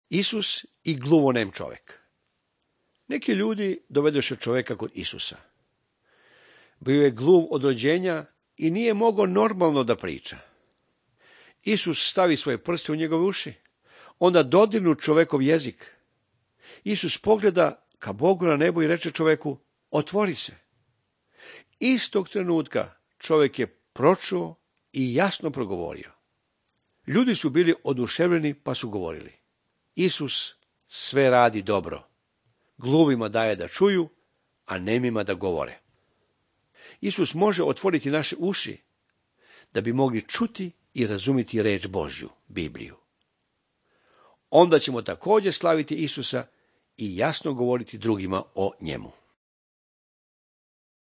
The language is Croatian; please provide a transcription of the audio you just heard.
Isus i gluvonem čovjek. Neki ljudi dovedoše čovjeka kod Isusa. Bio je gluv od rođenja i nije mogao normalno da priča. Isus stavi svoje prste u njegove uši, onda dodirnu čovjekov jezik. Isus pogleda ka Bogu na nebu i reče čovjeku, otvori se. Istog trenutka čovjek je pročuo i jasno progovorio. Ljudi su bili oduševljeni pa su govorili, Isus sve radi dobro. Gluvima daje da čuju, a nemima da govore. Isus može otvoriti naše uši da bi mogli čuti i razumjeti reč Božju, Bibliju. Onda ćemo također slaviti Isusa i jasno govoriti drugima o njemu.